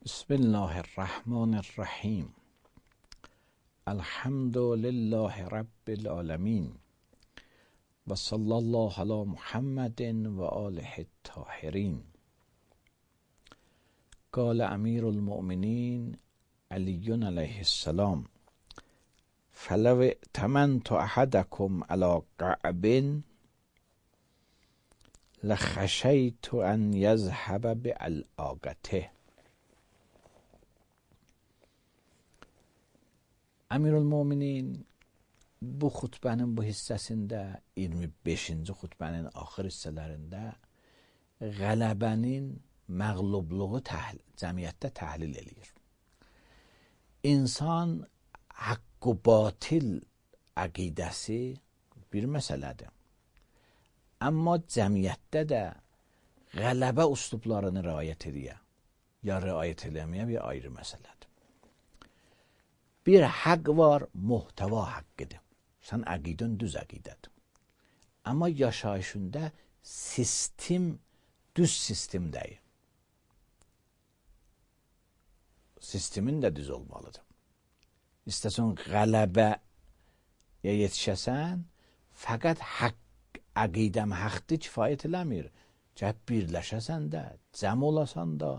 بسم الله الرحمن الرحیم. الحمد لله رب العالمین و صلی الله علی محمد و آله الطاهرین. قال امیر المؤمنین علی علیه السلام: فلو ائتمنت احدکم علی قعب لخشیت ان یذهب بعلاقته. Əmirül-Möminin bu xutbənin bu hissəsində 25-ci xutbənin axır hissələrində qələbənin məğlubluğu cəmiyyətdə təhlil eləyir. İnsan haqq-ı batil əqidəsi bir məsələdir. Amma cəmiyyətdə də qələbə üslublarını riayət edə ya riayət eləməyə bir ayrı məsələdir. Bir haqq var, muhtəva haqqıdır. Sən əqidən düz əqidədir. Amma yaşayışında sistem düz sistem deyil. Sistemin də düz olmalıdır. İstəsən qələbəyə yetişəsən, fəqət haqq, əqidəm haqqdır kifayət eləmir. Cəhb birləşəsən də, cəm olasan da,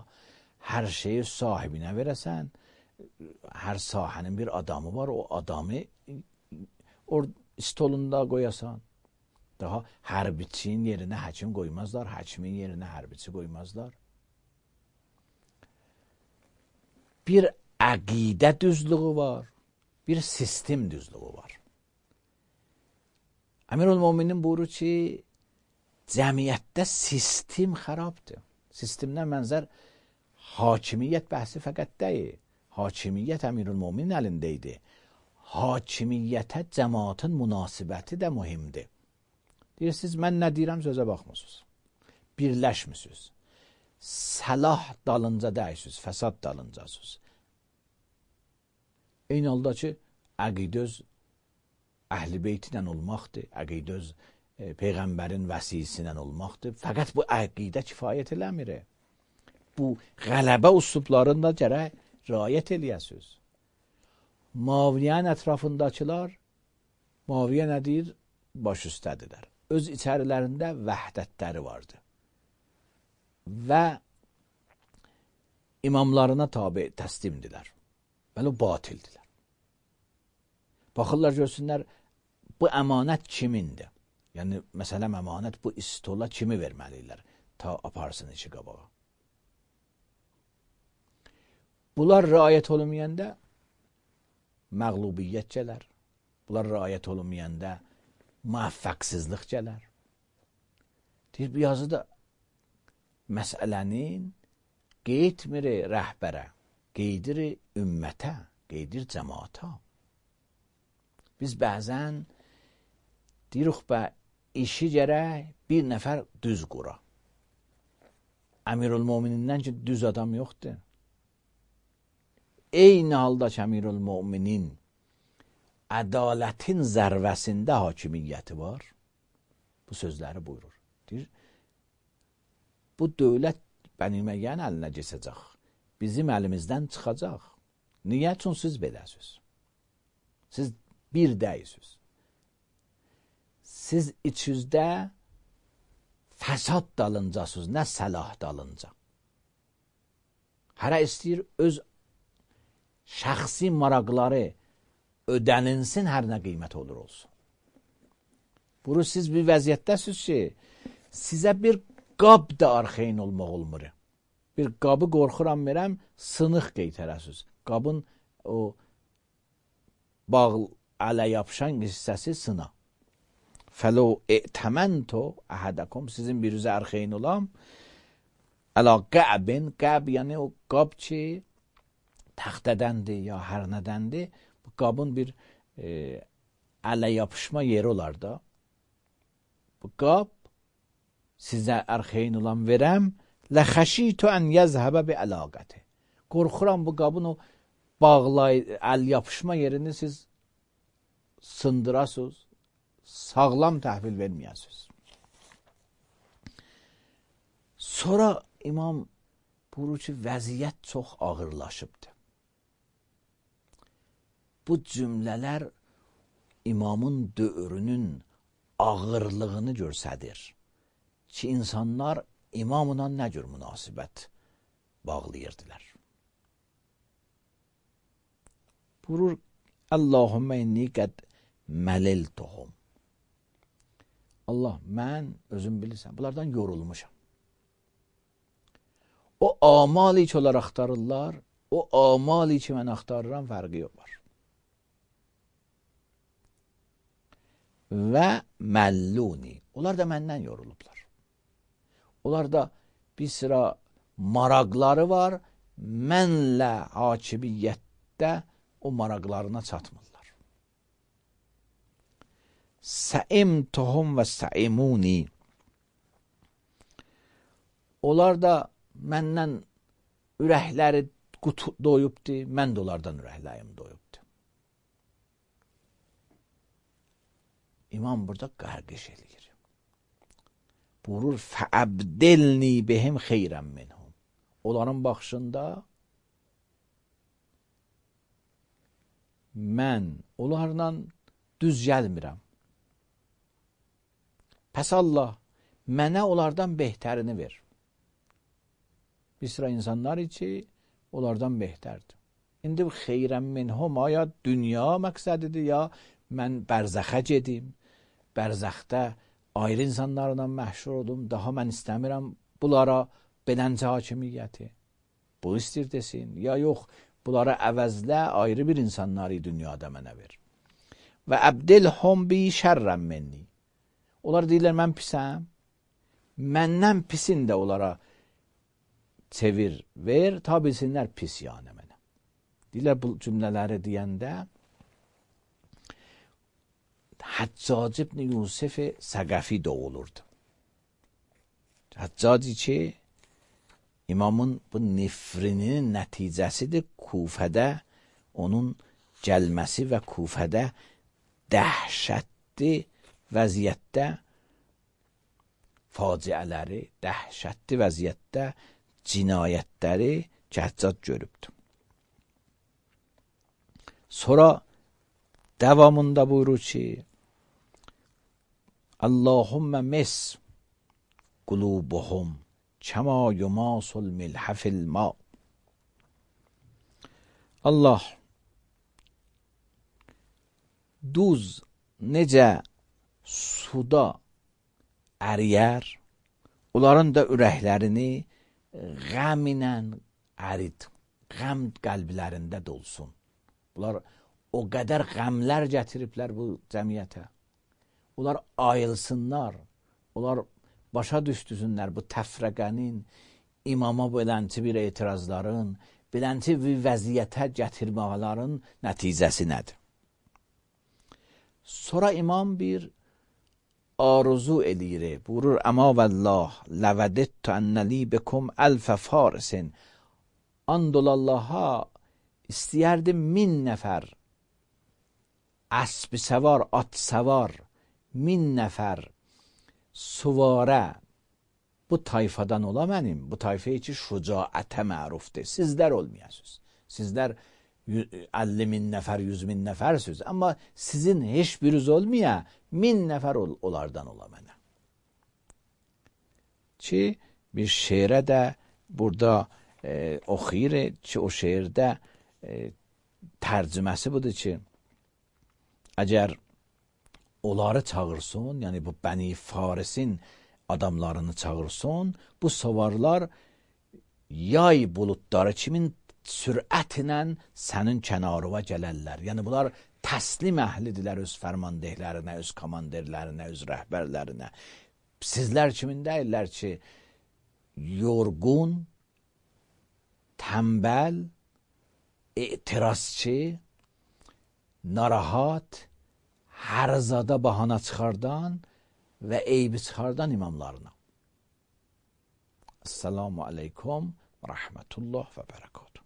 hər şeyi sahibinə verəsən. Hər sahənin bir adamı var, o adamı stolunda qoyasan. Daha hərbiçinin yerinə həkim qoymazlar, həkimin yerinə hərbiçi qoymazlar. Bir əqidə düzlüğü var, bir sistem düzlüğü var. Əmirül-Möminin buyurur ki, cəmiyyətdə sistem xarabdır. Sistemdən mənzər hakimiyyət bəhsi fəqət deyil. Hakimiyyət Əmirül-Möminin əlində idi. Hakimiyyətə cəmaatın münasibəti də mühimdir. Deyirsiniz, mən nə deyirəm, sözə baxmısınız. Birləşmisiniz. Səlah dalınca dəyirsiniz, fəsad dalıncasınız. Eyni halda ki, əqidə öz əhl-i beytlə olmaqdır, əqidə öz Peyğəmbərin vəsiyyəsilə olmaqdır. Fəqət bu əqidə kifayət eləmir. Bu qələbə üslublarında gərək riayət eləyəsiniz. Muaviyyənin ətrafındakılar, Muaviyyə nə deyir? Baş üstədirlər. Öz içərilərində vəhdətləri vardı. Və imamlarına tabi təslimdilər. Bəli, batildilər. Baxırlar, görsünlər, bu əmanət kimindir? Yəni, məsələn, əmanət bu istola kimi verməliyirlər? Ta aparsın içi qabağa. Bunlar riayət olunmayanda məğlubiyyət gələr. Bunlar riayət olunmayanda müvəffəqsizlik gələr. Deyir, bu yazıda məsələnin qeydmir rəhbərə, qeydir ümmətə, qeydir cəmaata. Biz bəzən deyirik, işi gərək bir nəfər düz qura. Əmirül-Möminindən ki, düz adam yoxdur. Eyni halda ki, Əmirül-Möminin ədalətin zərvəsində hakimiyyəti var. Bu sözləri buyurur. Deyir, bu dövlət Bəni Üməyyənin əlinə keçəcək. Bizim əlimizdən çıxacaq. Niyə? Çünki siz beləsiniz. Siz bir deyilsiniz. Siz içinizdə fəsad dalıncasınız, nə səlah dalınca. Hərə istəyir öz şəxsi maraqları ödəninsin, hər nə qiymət olur olsun. Bunu siz bir vəziyyətdəsiniz ki, sizə bir qab da arxeyn olmaq olmur. Bir qabı qorxuram verəm, sınıq qeytərəsiniz. Qabın o bağ ələ yapışan hissəsi sına. Fəlo e'təmənto əhədəkum, sizin bir üzə arxeyn olam, əla qəbin, qəb yəni o qab ki, təxtədəndir ya hər nədəndir, bu qabın bir ələ yapışma yeri olar da. Bu qab sizə ərxeyn olan verəm, ləxəşitü ən yəzhəbə bi əlaqəti. Qorxuram bu qabın o əl yapışma yerini siz sındırasınız, sağlam təhvil verməyəsiniz. Sonra İmam buyurur ki, vəziyyət çox ağırlaşıbdır. Bu cümlələr imamın dövrünün ağırlığını göstərir ki, insanlar imamla nə cür münasibət bağlayırdılar. Buyurur, Allahümmə inni qəd məliltuhum. Allah, mən özüm bilirsən, bunlardan yorulmuşam. O amali ki, onlar axtarırlar, o amali ki, mən axtarıram, fərqi yox var. Və məlluni. Onlar da məndən yorulublar. Onlar da bir sıra maraqları var, mənlə hakimiyyətdə o maraqlarına çatmırlar. Səimtuhum və səimuni. Onlar da məndən ürəkləri doyubdur, mən də onlardan ürəklərim doyubdur. İmam burada qarqış eləyir. Buyurur, fəəbdilni bihim xeyrən minhum. Onların baxışında mən onlarla düz gəlmirəm. Pəs Allah, mənə onlardan behtərini ver. Bir sıra insanlar ki, onlardan behtərdir. İndi xeyrən minhum, ya dünya məqsədidir, ya mən bərzəxə gedim, bərzəxdə ayrı insanlarla məhşur oldum, daha mən istəmirəm bunlara beləncə hakimiyyəti. Bu istir desin, ya yox, bunlara əvəzlə ayrı bir insanları dünyada mənə ver. Və əbdilhum bi şərrən minni. Onlar deyirlər, mən pisəm, məndən pisin də onlara çevir, ver, ta bilsinlər pis yəni mənə. Deyirlər, bu cümlələri deyəndə Həccac ibn Yusuf Səqəfi doğulurdu. Həccaci ki, imamın bu nifrinin nəticəsidir. Kufədə onun gəlməsi və Kufədə dəhşətli vəziyyətdə faciələri, dəhşətli vəziyyətdə cinayətləri Həccac görübdür. Sonra davamında buyurur ki, Allahümmə mes qulubuhum kəma yumasul milhəfil ma. Allah, duz necə suda əriyər, onların da ürəklərini qəm ilə ərid, qəm qəlblərində dolsun. Bunlar o qədər qəmlər gətiriblər bu cəmiyyətə. Onlar ayılsınlar, onlar başa düşdüsünlər bu təfrəqənin, imama belənti bir etirazların, belənti bir vəziyyətə gətirmələrin nəticəsi nədir? Sonra imam bir arzu eləyir, buyurur, əma vəllah, ləvədittu ənəli bekum əlfə farisin. Andollallaha, istəyərdim 1000 nəfər əsb səvar, at səvar, 1000 nəfər suvarə bu tayfadan ola mənim, bu tayfaya ki şücaətə mərufdir. Sizlər olmayasınız. Sizlər 50.000 nəfər, 100.000 nəfərsiniz. Amma sizin heç biriniz olmaya 1000 nəfər onlardan ola mənə. Ki bir şeirə də burada oxuyur ki, o şeirdə tərcüməsi budur ki, əgər onları çağırsın, yəni bu Bəni Farisin adamlarını çağırsın, bu savarlar yay buludları kimin sürətlə sənin kənarıva gələrlər. Yəni bunlar təslim əhlidirlər öz fərmandehlərinə, öz komandirlərinə, öz rəhbərlərinə. Sizlər kimin deyirlər ki, yorğun, tənbəl, etirazçı, narahat, hər zada bahana çıxardan və eybi çıxardan imamlarına. Esselamu aleykum və rəhmətullah və bərəkatuhu.